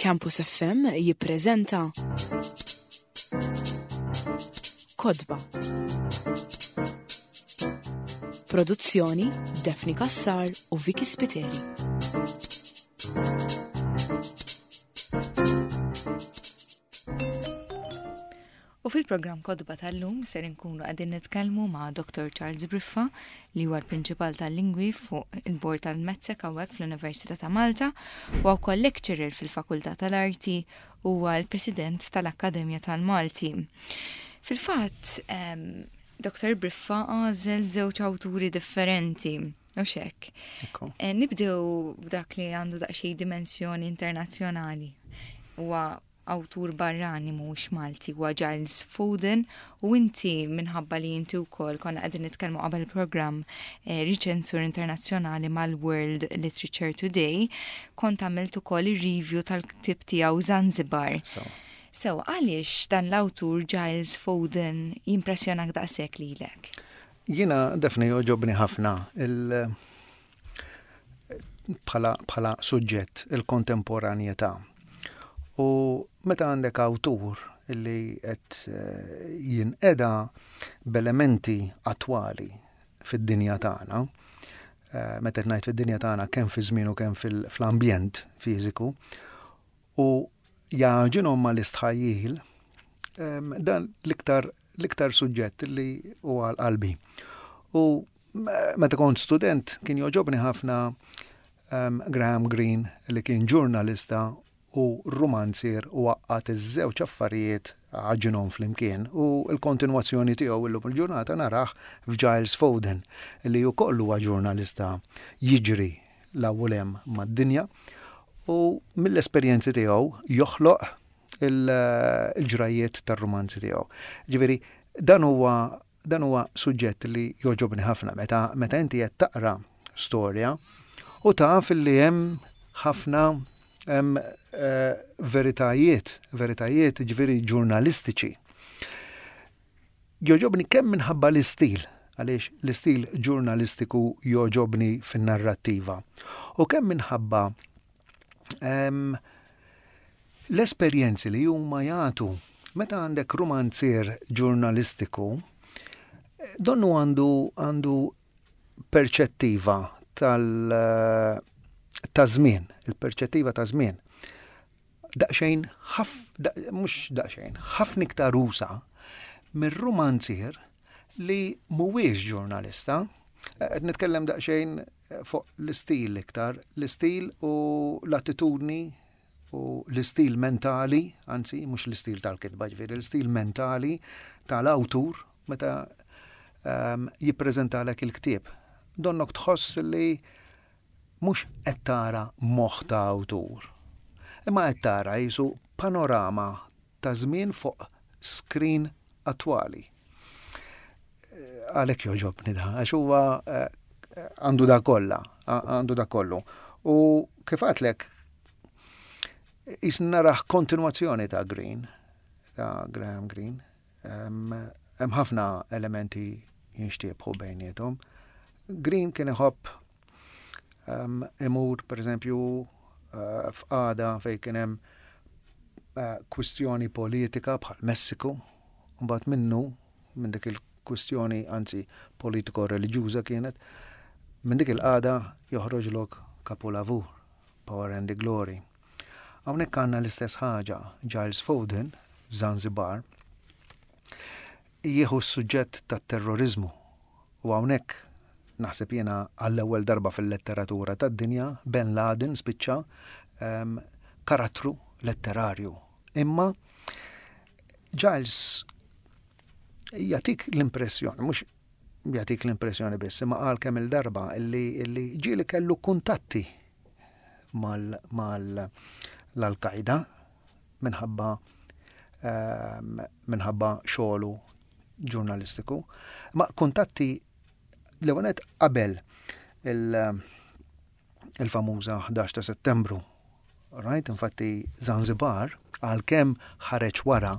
Campus FM jippreżenta Kodba. Produzzjoni Daphne Cassar u Vicky Spiteri. U fil-programm Kotba tal-lum ser inkunu qegħdin nitkellmu ma' Dr. Charles Briffa li huwa l-Prinċipal tal-Lingwi fuq il-Bord tal-Medsec hawnhekk fl-Università ta' Malta u wkoll lecturer fil-Fakultà tal-Arti huwa l-President tal-Akkademja tal-Malti. Fil-fatt, Dr. Briffa għażel żewġ awturi differenti. U xek. Eh, nibdew b'dak li għandu daqsxejn dimensjoni internazzjonali. Huwa awtur barrani mhuwiex Malti huwa Giles Foden u inti minħabba li inti wkoll konna qegħdin nitkellmu qabel programm eh, riċensur internazzjonali mal-World Literature Today, kont għamilt ukoll ir-review tal-ktieb tiegħu Zanzibar. So. So, għaliex dan l-awtur Giles Foden jimpressjonak daqshekk lilek? Jiena Daphne jogħġobni ħafna il bħala, bħala suġġett il-kontemporanjetà. U meta għandek awtur li qed eh, jinqeda b'elementi attwali fid-dinja tagħna, eh, meta qed ngħid fid-dinja tagħna kemm fi żmien u kemm fil-ambjent fiżiku, u jagħġinhom mal-istħajjil, dan l-iktar l-iktar suġġett li huwa għal qalbi. U meta kont student kien joġobni ħafna um, Graham Greene li kien ġurnalista u rumanzier u għaqqat iż-żewġ affarijiet għaġinhom flimkien u l-kontinwazzjoni tiegħu illum il-ġurnata narah f'Giles Foden li wkoll huwa ġurnalista jiġri l-ewwel hemm mad-dinja u mill-esperjenzi tiegħu joħloq il-ġrajiet tar-rumanzi tiegħu. Ġifieri dan huwa dan huwa suġġett li jogħġobni ħafna meta meta inti qed taqra storja u taf li hemm ħafna hemm eh, veritajiet, veritajiet ġifieri ġurnalistiċi. Jogħġobni kemm minħabba l-istil, għaliex l-istil ġurnalistiku jogħġobni fin-narrattiva, u kemm minħabba L-esperjenzi li huma jagħtu. Meta għandek rumanzier ġurnalistiku, donnu għandu għandu perċettiva tal ta' żmien, il-perċettiva ta' żmien. Daqsxejn ħaf, mhux daqsxejn, ħafna iktar usa mir-rumanzier li mhuwiex ġurnalista. Qed nitkellem daqsxejn fuq l-istil iktar, l-istil u l-attitudni u l-istil mentali, anzi mhux l-istil tal-kitba ġifieri, l-istil mentali tal-awtur meta um, jippreżentalek il-ktieb. Donnok tħoss li mhux qed tara moħħ ta' awtur, imma qed tara jisu panorama ta' żmien fuq screen attwali. Għalhekk jogħġobni da, għax huwa eh, għandu da kollha, għandu da kollu. U kif għatlek, jisni naraħ kontinuazzjoni ta' Green, ta' Graham Greene. Hemm ħafna elementi jinxtiebħu bejniethom. Green kien iħobb imur, per eżempju, eh, f'qada fej kien hemm eh, kwistjoni politika bħal Messiku, mbagħad minnu minn dik il-kwistjoni anzi politiko-reliġjuża kienet, minn dik il-qada joħroġlok kapulavur, Power and the Glory. Hawnhekk għandna l-istess ħaġa, Giles Foden f'Zanzibar jieħu s-suġġett tat-terroriżmu u hawnhekk naħseb jiena għall-ewwel darba fil-letteratura tad-dinja Ben Laden spiċċa um, karattru letterarju. Imma Giles jagħtik l-impressjoni, mhux jagħtik l-impressjoni biss, imma qal kemm il-darba illi, illi ġieli kellu kuntatti mal l-Al-Qaeda minħabba ehm, minħabba xogħlu ġurnalistiku. Ma kuntatti l-ewwel qabel il-famuża 11 ta' Settembru. Right? Infatti Zanzibar għalkemm ħareġ wara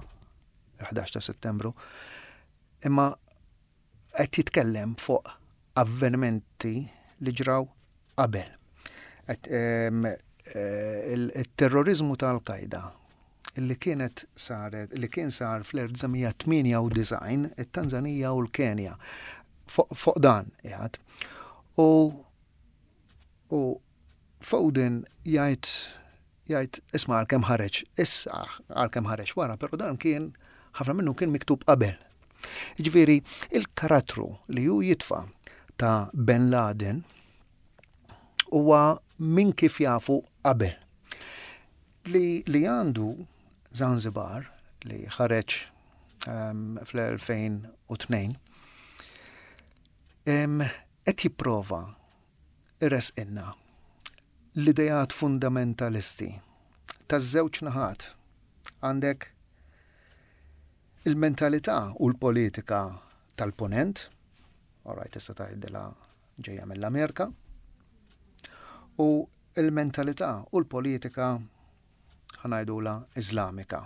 il-11 ta' Settembru, imma qed jitkellem fuq avvenimenti li ġraw qabel. Il-terrorizmu ta' Al-Qaeda li kienet saret, li kien sar fl-1998 it-Tanzanija u l-Kenja. Fuq dan jgħid. U u Foden jgħid jgħid isma' għalkemm ħareġ issa għalkemm ħareġ wara, però dan kien ħafna minnu kien miktub qabel. Ġifieri il-karattru li hu jitfa' ta' Ben Laden huwa minn kif jafu qabel. Li, li għandu Zanzibar li ħareġ um, fl-2002 qed jipprova iressqilna l-ideat fundamentalisti taż-żewġ naħat. Għandek il-mentalità u l-politika tal-ponent, alright, tista' tgħidilha ġejja mill-Amerika, u l-mentalità u l-politika ħa ngħidulha Iżlamika.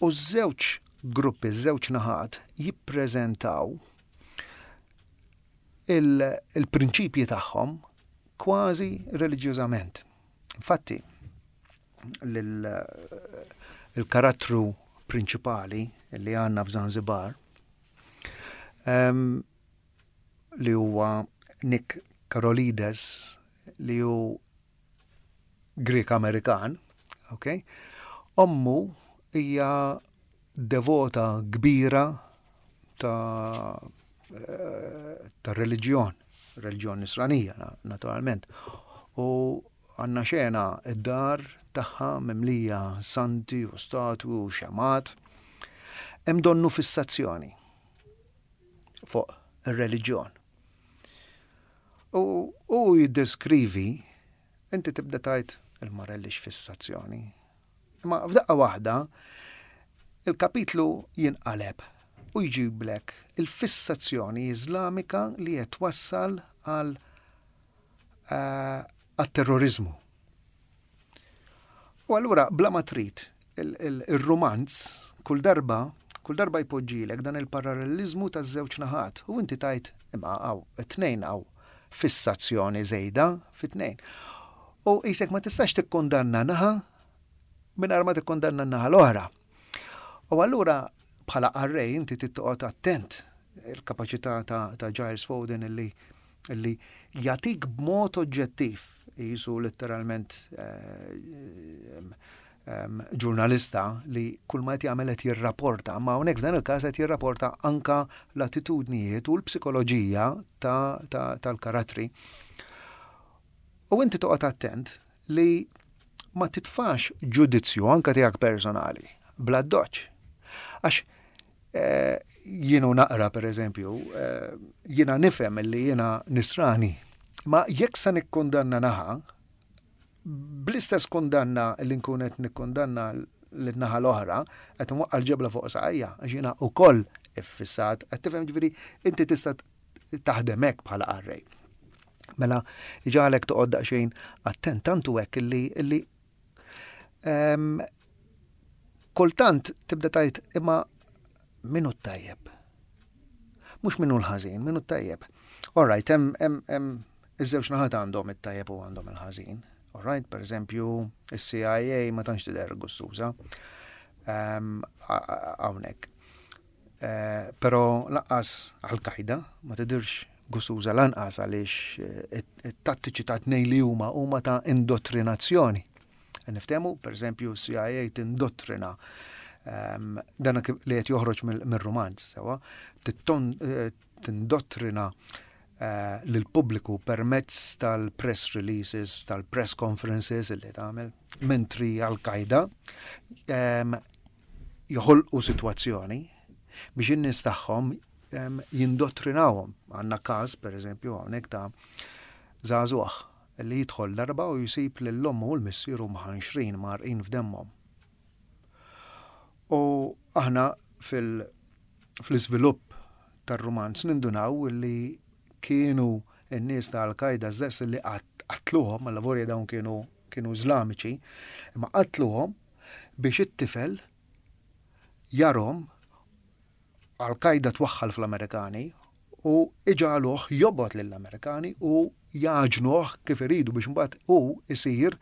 U ż-żewġ gruppi, ż-żewġ naħat jippreżentaw il-prinċipji tagħhom kważi reliġjużament. Infatti, il-karattru prinċipali li għandna f'Zanzibar li huwa Nick Karolides li hu Grieg Amerikan, ok? Ommu hija devota kbira ta' eh, ta' reliġjon, reliġjon nisranija naturalment. U għandna xena id-dar tagħha mimlija santi u statwi u xemat. Hemm donnu fissazzjoni fuq ir-reliġjon. U hu jiddeskrivi, inti tibda tgħid il-marelli x'fissazzjoni. Imma f'daqqa waħda il-kapitlu jinqaleb u jġiblek il-fissazzjoni Iżlamika li qed twassal għal eh, għat-terrorizmu. U allura bla ma trid il-rumanz kull darba kull darba jpoġġilek dan il-paralleliżmu taż-żewġ naħat u inti tgħid imma hawn it-tnejn hawn fissazzjoni żejda fit-tnejn. U qisek ma tistax tikkundanna naħa mingħajr ma tikkundanna n-naħa l-oħra. U allura bħala qarrej inti trid toqgħod attent il-kapaċità ta', ta Giles Foden illi li jagħtik b'mod oġġettiv, jisu letteralment eh, ġurnalista li kull ma qed jagħmel qed jirrapporta, ma hawnhekk f'dan il-każ qed jirrapporta anka l-attitudnijiet u l-psikoloġija tal-karattri. U inti toqgħod attent li ma titfax ġudizzju anka tiegħek personali bla doċ. Għax Eh, jienu naqra per eżempju, eh, jiena nifhem li jiena nisrani, ma jekk se nikkundanna naħa, bl-istess kundanna li nkun qed nikkundanna l-naħa l-oħra, qed nwaqqa' l-ġebla fuq saqajja, għax jiena wkoll iffissat, qed tifhem ġifieri inti tista' taħdem hekk bħala qarrej. Mela, ġalek toqgħod daqsxejn attent tantu hekk illi illi ehm, Kultant tibda tgħid imma min hu t-tajjeb? Mhux min hu l-ħażin, min hu t-tajjeb. All right, hemm hemm iż-żewġ naħat għandhom it-tajjeb u għandhom il-ħażin. All right, per eżempju, is-CIA ma tantx tidher gustuża ehm, hawnhekk. Eh, però lanqas Al-Qaida ma tidirx gustuża lanqas għaliex eh, it-tattiċi ta' tnejn li huma huma ta' indottrinazzjoni. Niftehmu, per eżempju, CIA tindottrina ehm, dan li qed joħroġ mir-rumanz, sewa, eh, tindottrina eh, lill-pubbliku permezz tal-press releases, tal-press conferences li tagħmel, mentri Al-Qaeda ehm, joħolqu sitwazzjoni biex in-nies tagħhom ehm, jindottrinawhom. Għandna każ, per eżempju, hawnhekk ta' żagħżugħ li jidħol darba u jsib lil ommu u l-missieru mħanxrin mgħarrqin f'demmhom. U aħna fil-iżvilupp tar-rumanz nindunaw li kienu n-nies ta' Al-Qaeda stess li qatluhom, allavolja dawn kienu kienu Iżlamiċi, imma qatluhom biex it-tifel jarhom Al-Qaeda twaħħal fl-Amerikani U iġagħluh jobgħod lill-Amerikani u jagħġnuh kif iridu biex imbagħad hu isir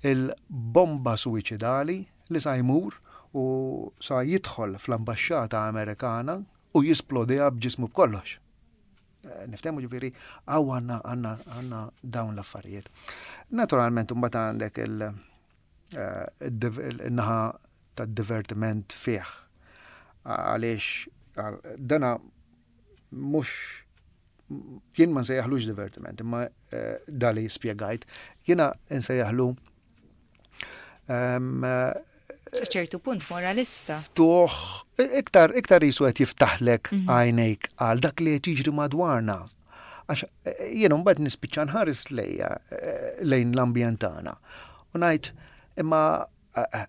il-bomba suwiċidali li sa jmur u sa jidħol fl-ambaxxata Amerikana u jisplodiha b'ġismu b'kollox. Eh, niftehmu ġifieri hawn għandna għandna għandna dawn l-affarijiet. Naturalment imbagħad għandek il- eh, il-naħa tad-divertiment fih. Għaliex dana mhux jien ma nsejjaħlux divertiment, imma eh, dali spjegajt, jiena nsejjaħlu ehm, ċertu punt moralista. Tuħ, iktar, iktar jisu qed jiftaħlek mhm. għajnejk għal dak li qed jiġri madwarna. Għax eh, jien mbagħad nispiċċa nħares lejja eh, lejn l-ambjent tagħna. U ngħid imma eh,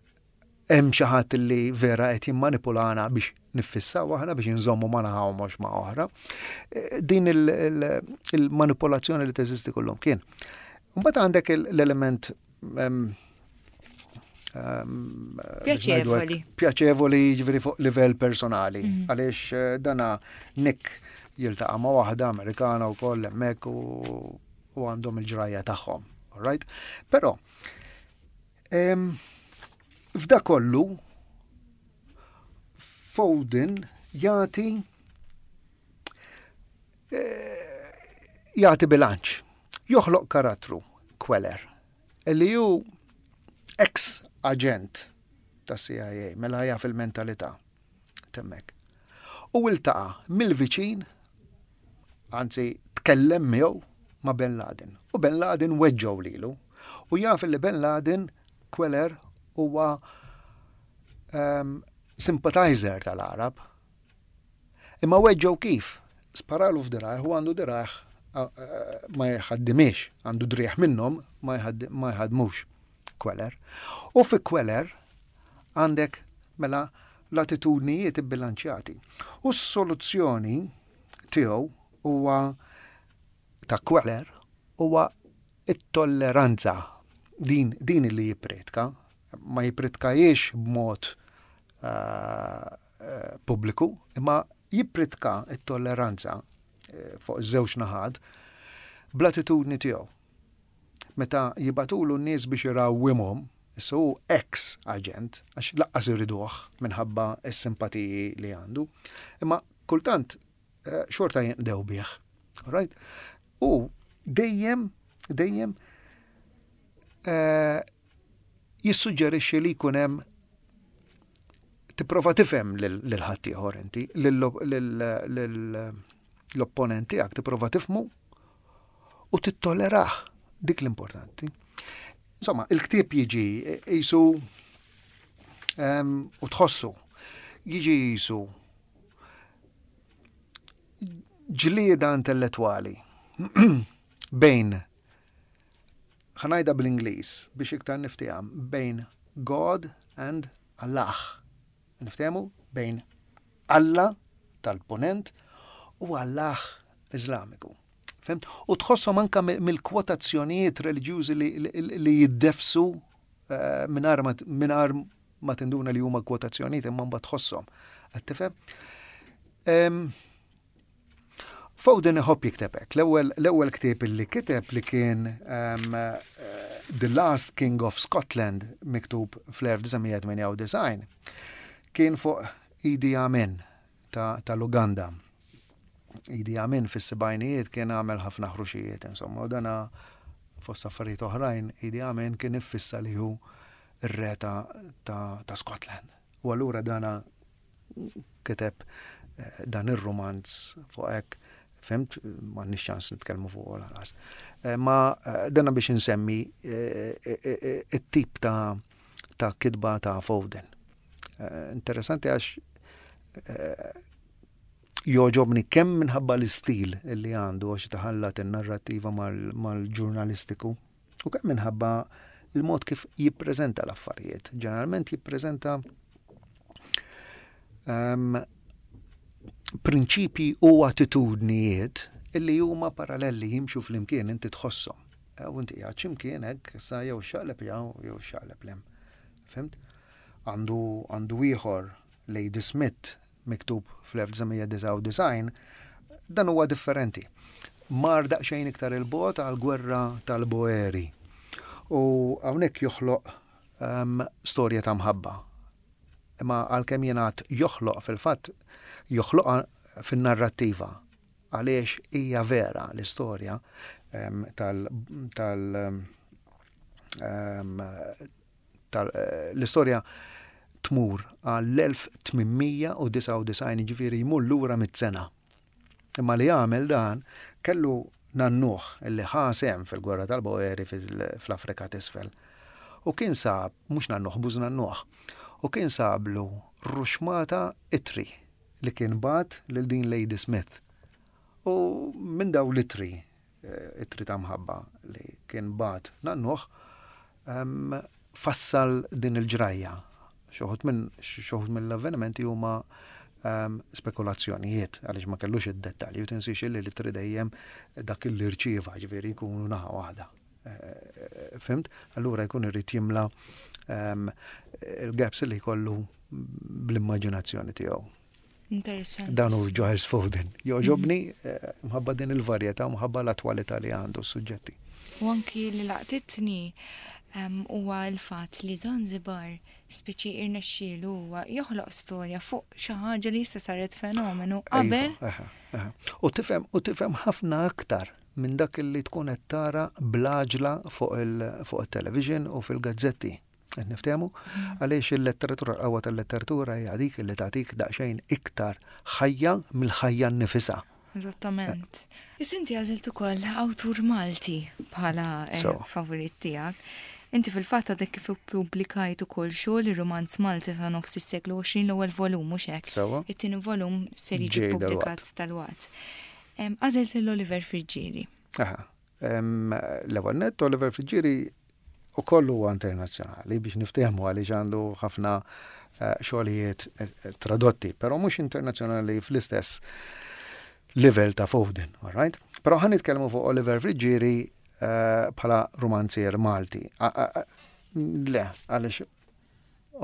hemm xi ħadd li vera qed jimmanipulana biex niffissaw aħna biex inżommu ma naħa u mhux ma' oħra. Din il-manipolazzjoni li teżisti kullum kien. Mbagħad għandek l-element Pjaċevoli. Pjaċevoli ġifieri fuq livell personali. Mhm. Għaliex eh, dana Nick jiltaqa' ma' waħda Amerikana wkoll hemmhekk u għandhom il-ġrajja tagħhom. All right? Però f'da kollu Foden jagħti eh, jagħti bilanċ. Joħloq karattru Queller li hu ex aġent ta' CIA, mela jaf il-mentalità temmek. U iltaqa' mill-viċin, anzi tkellem miegħu ma' Ben Laden. U Ben Laden weġġgħu lilu. U jaf li Ben Laden Queller huwa um, sympathizer tal-Arab. Imma weġġgħu kif? Sparalu f'dirajh u għandu dirajh ma jħaddimiex, għandu driegħ minnhom ma jħadmux Queller. U fi Queller għandek mela l-attitudnijiet ibbilanċjati. U s-soluzzjoni tiegħu huwa ta' Queller huwa it-tolleranza din din li jippretka, ma jippretkajiex b'mod uh, pubbliku, imma jippritka t-tolleranza eh, fuq iż-żewġ naħat bl-attitudni tiegħu. Meta jibatulu n-nies biex irawwimhom, issa hu ex aġent, għax laqqas iriduh minħabba s-simpatiji li għandu, imma kultant eh, xorta jinqdew bih. Right? U dejjem, dejjem eh, jissuġġerixxi li jkun hemm tipprova tifhem lil ħaddieħor inti, l-opponent tiegħek tipprova tifhmu u tittolerah dik l-importanti. Insomma, il-ktieb jiġi jisu ehm, u tħossu jiġi jisu ġlieda intellettwali bejn Ħa ngħidha bl-Ingliż biex iktar nifteham bejn God and Allah. Niftehmu bejn Alla tal-Punent u Allah Iżlamiku. Fhimt? U tħosshom anka mill-kwotazzjonijiet reliġjużi li jiddefsu eh, mingħajr ma tinduna li huma kwotazzjonijiet imma mbagħad tħosshom. Qed tifhem? Foden iħobb jikteb hekk. L-ewwel ktieb li kiteb li kien um, The Last King of Scotland miktub fl-1998 kien fuq Idi Amin tal-Uganda. Idi Amin fis-sebgħinijiet kien għamel ħafna ħruxijiet, insomma, u dana fost affarijiet oħrajn Idi Amin kien iffissa li hu r-re ta', ta, ta Scotland. U allura dana kiteb eh, dan ir-rumanz fuq hekk, fimt, m'għandniex ċans nitkellmu fuq lanqas. Eh, ma eh, dana biex insemmi it-tip ta' ta' kitba ta' Foden. Interessanti għax joġobni kemm minħabba l-istil li għandu għax taħallat in-narrattiva mal-ġurnalistiku U kemm minħabba il-mod kif jippreżenta l-affarijiet. Ġeneralment jippreżenta um, prinċipji u attitudnijiet illi huma paralleli jimxu flimkien inti tħosshom. E, u inti qiegħed x'imkien hekk sa jew xaqleb jew jew xaqleb lem. Fimt? Għandu għandu ieħor Lady Smith miktub fl-1999. Dan huwa differenti. Mar daqsxejn iktar il-bogħod għall-gwerra tal-Boeri. U hawnhekk joħloq um, storja ta' mħabba. Imma għalkemm jingħad joħloq fil-fatt joħloqha fin-narrattiva għaliex hija vera l-istorja um, tal, tal um, tal eh, l-istorja tmur għall-1899 ġifieri jmur lura mit-sena. Imma li għamel dan kellu nannuh li ħa sehem fil-gwerra tal-Boeri fl-Afrika t'Isfel. U kien sab, mhux nannuh, bużnannuh, u kien sablu ruxmata ittri li kien bagħat lil din Lady Smith. U minn daw l-ittri, eh, ittri ta' mħabba li kien bagħat nannuh, fassal din il-ġrajja. Xoħut minn xoħut mill-avvenimenti huma spekulazzjonijiet għaliex ma kellux id-dettalji u tinsiex li li dejjem dak li rċieva ġifieri jkunu naħa waħda. Eh, eh, fimt? Allura jkun irid jimla il-gaps li jkollu bl-immaġinazzjoni tiegħu. Interessanti. Dan hu Giles Foden. Joġobni mhm. eh, mħabba din il-varjetà, mħabba l-attwalità li għandu s-suġġetti. U anki li laqtitni huwa l-fatt li Zanzibar speċi irnexxielu huwa joħloq storja fuq xi ħaġa li issa saret fenomenu iva, qabel. U tifhem u tifhem ħafna aktar minn dak li tkun qed tara blaġla fuq il-television u fil-gazzetti. Qed niftehmu? Mm. Għaliex il-letteratura, l-qawwa tal-letteratura hija dik li tagħtik daqsxejn iktar ħajja mill-ħajja nnifisha. Eżattament. Is inti għażilt ukoll awtur Malti bħala eh, favorit tiegħek. Inti fil-fatt għadek kif ippubblikajt ukoll xogħol ir-rumanz Malti sa nofs is-seklu 20 l-ewwel volum mhux hekk. It-tieni volum ser jiġi ppubblikat dalwaqt. Għażilt lil Oliver Friggieri. Aha. L-ewwel nett Oliver Friggieri ukoll huwa internazzjonali biex niftehmu għaliex għandu ħafna eh, xogħlijiet eh, eh, tradotti, però mhux internazzjonali fl-istess livell ta' Foden, all right? Però ħan nitkellmu fuq Oliver Friggieri bħala romanzier Malti. Le, għaliex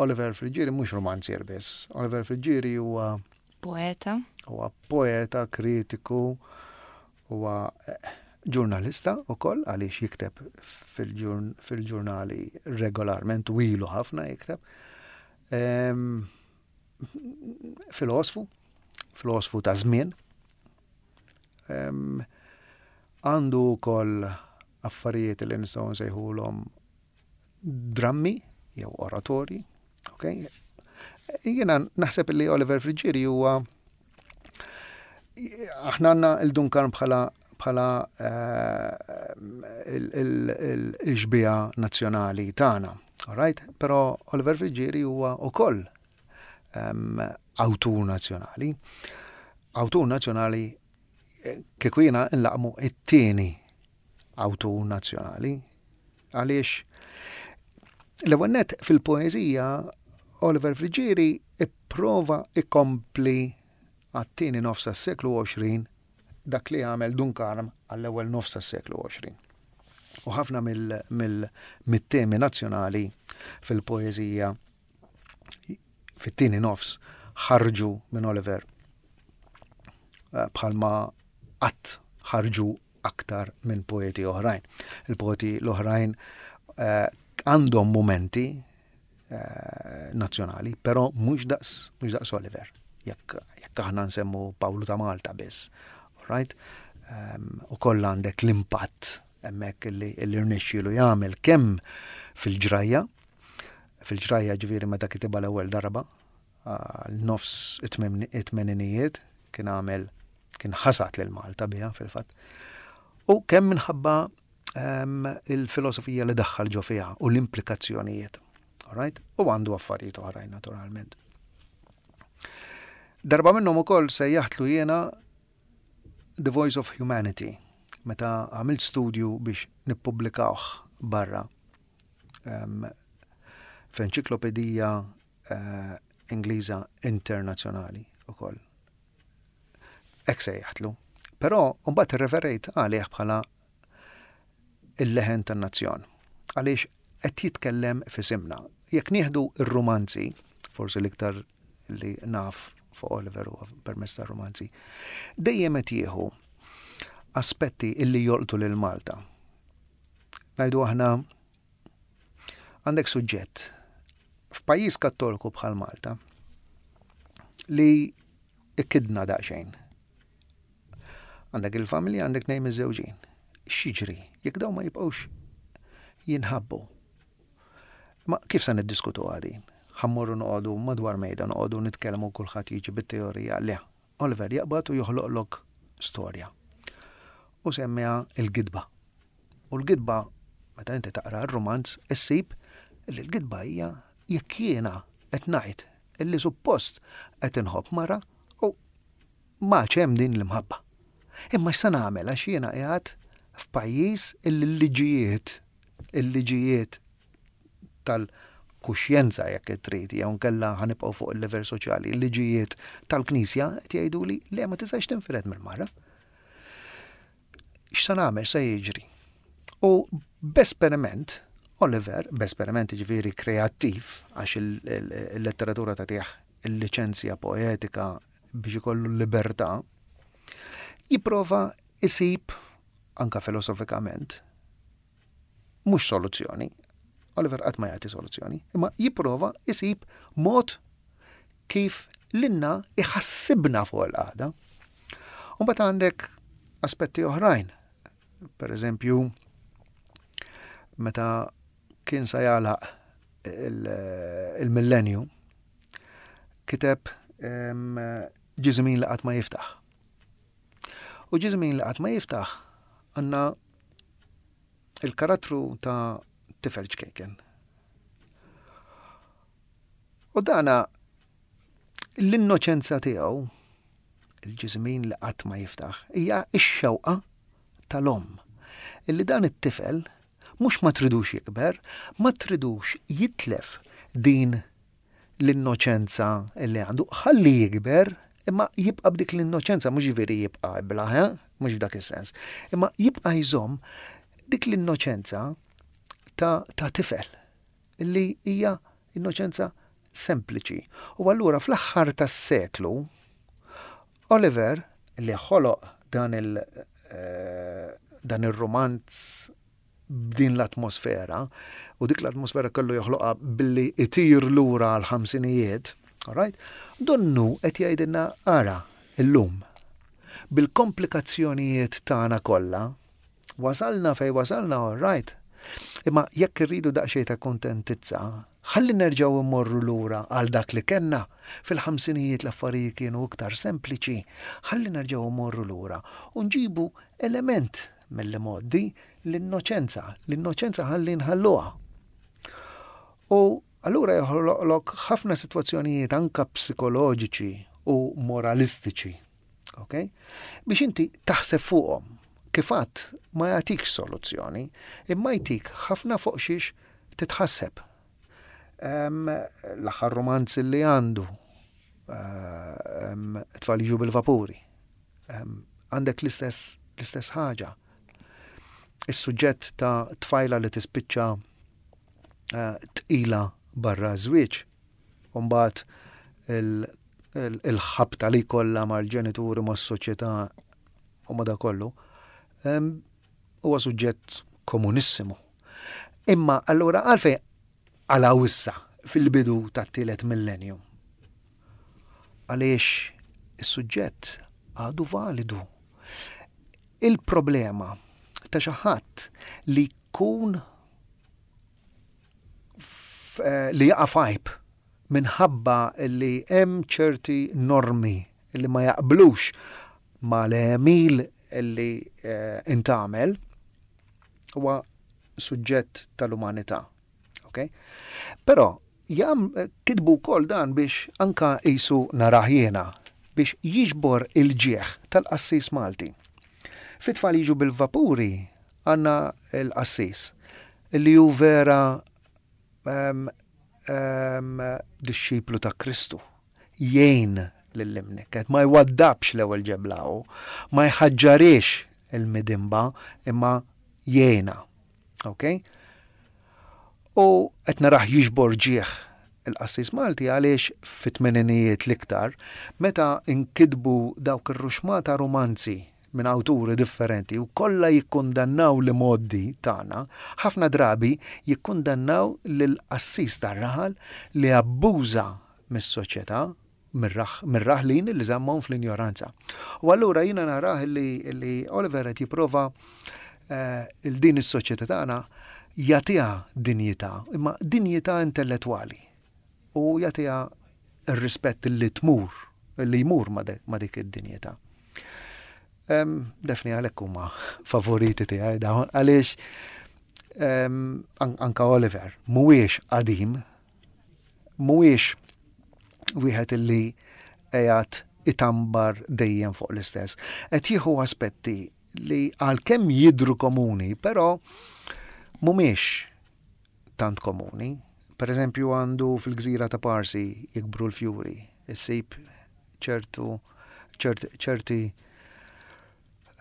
Oliver Friggieri mhux romanzier biss. Oliver Friggieri huwa poeta. Huwa poeta, kritiku, Huwa ġurnalista wkoll għaliex jikteb fil-ġurnali regolarment u ilu ħafna jikteb. Ehm, filosfu, filosfu ta' żmien. Ehm, għandu wkoll affarijiet li nistgħu nsejħulhom drammi jew oratorji. Okay? Jiena naħseb li Oliver Friggieri huwa aħna għandna il-Duncan bħala bħala eh, il-xbija nazzjonali tagħna. Alright? Però Oliver Friggieri huwa wkoll ehm, awtur nazzjonali. Awtur nazzjonali eh, kieku jiena nlaqmu it-tieni awtur nazzjonali. Għaliex l-ewwel nett fil-poeżija Oliver Friggieri ipprova ikompli għat-tieni nofs tas-seklu 20 dak li għamel Dun Karm għall-ewwel nofs tas-seklu 20. U ħafna mill-temi nazzjonali fil-poeżija fit-tieni nofs ħarġu minn Oliver eh, bħalma qatt ħarġu aktar minn poeti oħrajn. Il-poeti l-oħrajn eh, għandhom mumenti eh, nazzjonali, però mhux daqs mhux daqs Oliver. Jekk jekk aħna nsemmu Pawlu ta' Malta biss. Right? Um, u koll għandek l-impatt hemmhekk li rnexxielu jagħmel kemm fil-ġrajja, fil-ġrajja ġifieri meta kitibha l-ewwel darba, nofs it-tmeninijiet kien għamel kien ħasat lil Malta biha fil-fatt. U kemm minħabba ehm, il-filosofija li daħħal ġo fiha u l-implikazzjonijiet. Alright? U għandu affarijiet oħrajn naturalment. Darba minnhom ukoll sejjaħtlu jiena The Voice of Humanity meta għamilt studju biex nippubblikawh barra um, f'enċiklopedija uh, Ingliża internazzjonali ukoll. Hekk sejjaħtlu. Però mbagħad irreferejt għalih bħala il-leħen tan-nazzjon. Għaliex qed jitkellem f'isimna. Jekk nieħdu r-rumanzi, forsi l-iktar li naf fuq Oliver huwa permezz tar-rumanzi. Dejjem qed jieħu aspetti illi jolqtu lil Malta. Ngħidu aħna għandek suġġett f'pajjiż kattoliku bħal Malta li ikkidna daqsxejn. Għandek il-familja, għandek nejn miżżewġin. X'jiġri jekk dawn ma jibqgħux jinħabbu? Ma kif se niddiskutu din? Ħa mmorru noqogħdu madwar mejda noqogħdu nitkellmu kulħadd jiġi bit-teorija le. Oliver jaqbad u joħloqlok storja. U semmiha il-gidba. U l-gidba, meta inti taqra r-rumanz, issib li l-gidba hija jekk jiena qed ngħid illi suppost qed inħobb mara u m'għadx hemm din l-imħabba. Imma x'se nagħmel għax jiena qiegħed f'pajjiż illi l-liġijiet il-liġijiet tal-kuxjenza jekk trid jew nkella ħa nibqgħu fuq il-level soċjali, il-liġijiet tal-Knisja qed jgħiduli le ma tistax tinfired mill-mara. X'se nagħmel se jiġri? U b'esperiment, Oliver, b'esperiment ġifieri kreattiv, għax il-letteratura tagħtih il-liċenzja poetika biex ikollu l-libertà, jipprova isib anka filosofikament mhux soluzzjoni. Oliver qatt ma jagħti soluzzjoni, imma jipprova isib mod kif lilna iħassibna fuq il-qagħda. U mbagħad għandek aspetti oħrajn. Per eżempju, meta kien sa jagħlaq il-millenju, kiteb ġiżmin li qatt ma jiftaħ. U ġiżmin li qatt ma jiftaħ għandna il-karattru ta' tifel ċkejken. U dana l-innoċenza tiegħu, il-ġiżmin li qatt ma jiftaħ, hija x-xewqa tal-omm. Illi dan it-tifel mhux ma tridux jikber, ma tridux jitlef din l-innoċenza li għandu, ħalli jikber, imma jibqa' b'dik l-innoċenza, mhux ġifieri jibqa' iblah, eh? mhux f'dak is-sens, imma jibqa' jżomm dik l-innoċenza ta', ta tifel li hija innoċenza sempliċi. U allura fl-aħħar tas-seklu Oliver li ħoloq dan il eh, dan ir-romanz b'din l-atmosfera, u dik l-atmosfera kellu joħloqha billi itir lura għal ħamsinijiet, alright? Donnu qed jgħidilna ara illum bil-komplikazzjonijiet tagħna kollha, wasalna fej wasalna, all right. Imma jekk irridu daqsxejn ta' kuntentizza, ħalli nerġgħu immorru lura għal dak li kellna. Fil-ħamsinijiet l-affarijiet kienu iktar sempliċi. Ħalli nerġgħu immorru lura u nġibu element mill-imgħoddi l-innoċenza, l-innoċenza ħalli nħalluha. U allura joħloqlok ħafna sitwazzjonijiet anka psikoloġiċi u moralistiċi, ok? Biex inti taħseb fuqhom. Kif għadt ma jagħtikx soluzzjoni, imma jtik ħafna fuq xiex titħasseb. L-aħħar romanz li għandu, tfal jiġu bil-vapuri. Għandek l-istess l-istess ħaġa. Is-suġġett ta' tfajla li tispiċċa eh, tqila barra żwieġ. U mbagħad il-ħabta li kollha mal-ġenituri mas-soċjetà u ma da kollu. Huwa suġġett komunissimu. Imma allura għalfejn għalaw issa fil-bidu tat-tielet millennium? Għaliex is-suġġett għadu validu. Il-problema ta' xi ħadd li jkun eh, li jaqa' fajb minħabba li hemm ċerti normi li ma jaqblux ma l-għemil li eh, intagħmel huwa suġġett tal-umanità. Okay? Però jam kitbu wkoll dan biex anka qisu narah jiena biex jiġbor il-ġieħ tal-qassis Malti. Fit-tfal jiġu bil-vapuri għandna l-qassis li hu vera um, um, dixxiplu ta' Kristu. Jgħin lill-imnikket, ma jwaddabx l-ewwel ġebla hu, ma jħaġġarix il-midimba imma jgħinha. Ok? U qed narah jiġbor ġieħ. Il-qassis Malti għaliex fit-tmeninijiet l-iktar, meta nkitbu dawk ir-ruxmata rumanzi minn awturi differenti u kollha jikkundannaw l-imgħoddi tagħna, ħafna drabi jikkundannaw lill-qassis tar-raħal li abbuża mis-soċjetà, mir-raħlin li żammhom fl-injoranza. U allura jiena narah li Oliver qed jipprova eh, il din is-soċjetà tagħna jagħtiha dinjità, imma dinjità intellettwali u jagħtiha r-rispett li tmur, li jmur ma' dik id-dinjità. Defni għalhekk huma favoriti tiegħi dawn għaliex anka Oliver mhuwiex qadim, mhuwiex wieħed illi qiegħed itambar dejjem fuq l-istess. Qed jieħu aspetti li għalkemm jidru komuni, però mhumiex tant komuni. Per eżempju għandu fil-gżira ta' Parsi jikbru l-fjuri, issib ċertu ċerti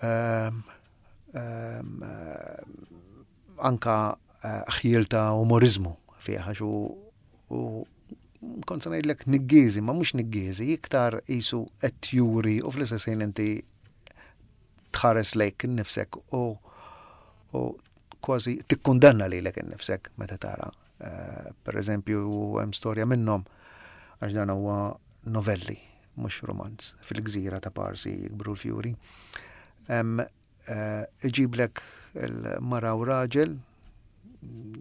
ehm, ehm, anka eh, ħjiel ta' umorizmu fih għax u kont se ngħidlek niggiżi, ma mhux niggiżi, iktar qisu qed juri u fl-istess ħin inti tħares lejk innifsek u u kważi tikkundanna lilek innifsek meta tara. Eh, per eżempju, hemm storja minnhom għax dan huwa novelli, mhux romanz, fil-gżira ta' Parsi jikbru l-fjuri. Eh, iġiblek il-mara u raġel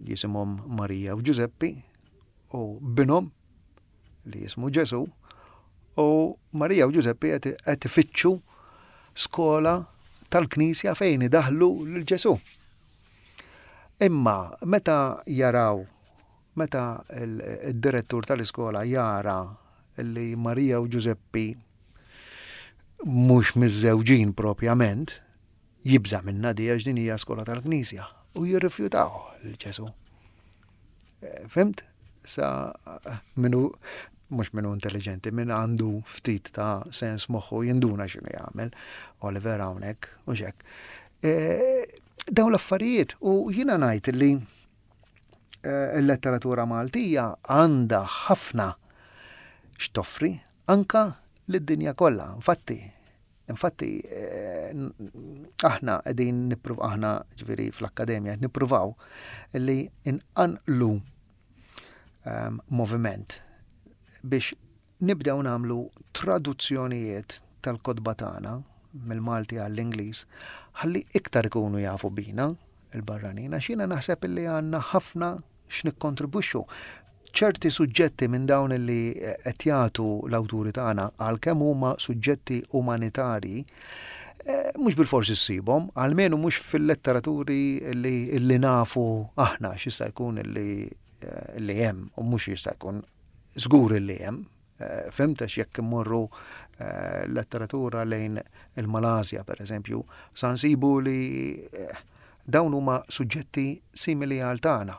jisimhom Marija u Ġużeppi u binhom li jismu Ġesu u Marija u Ġużeppi qed ifittxu skola tal-Knisja fejn idaħlu lil Ġesu. Imma meta jaraw meta il-direttur tal-iskola jara li Marija u Ġużeppi mhux miżżewġin propjament, jibża' minnha di għax din hija skola tal-Knisja u jirrifjutaw lil Ġesu. Eh, fimt? Sa minu mhux minu intelligenti, min għandu ftit ta' sens moħħu jinduna x'inhu jagħmel, Oliver hawnhekk u xek. Eh, dawn l-affarijiet u jiena ngħid li eh, l-letteratura Maltija għandha ħafna x'toffri anka lid-dinja kollha. Infatti, infatti eh, aħna qegħdin nippruv aħna ġifieri fl-akkademja qed nippruvaw li nqanqlu ehm, moviment biex nibdew nagħmlu traduzzjonijiet tal-kotba tagħna mill-Malti għall-Ingliż ħalli iktar ikunu jafu bina il-barranin għax jiena naħseb li għandna ħafna x'nikkontribwixxu. Ċerti suġġetti minn dawn li qed jagħtu l-awturi tagħna għalkemm huma suġġetti umanitarji, eh, mhux bilfors issibhom, almenu mhux fil-letteraturi li, li nafu aħna x'jista' jkun li, eh, li hemm u mhux jista' jkun żgur li hemm. Eh, fimt għax jekk immorru letteratura lejn il-Malasja per eżempju, sa nsibu li dawn huma suġġetti simili għal tagħna.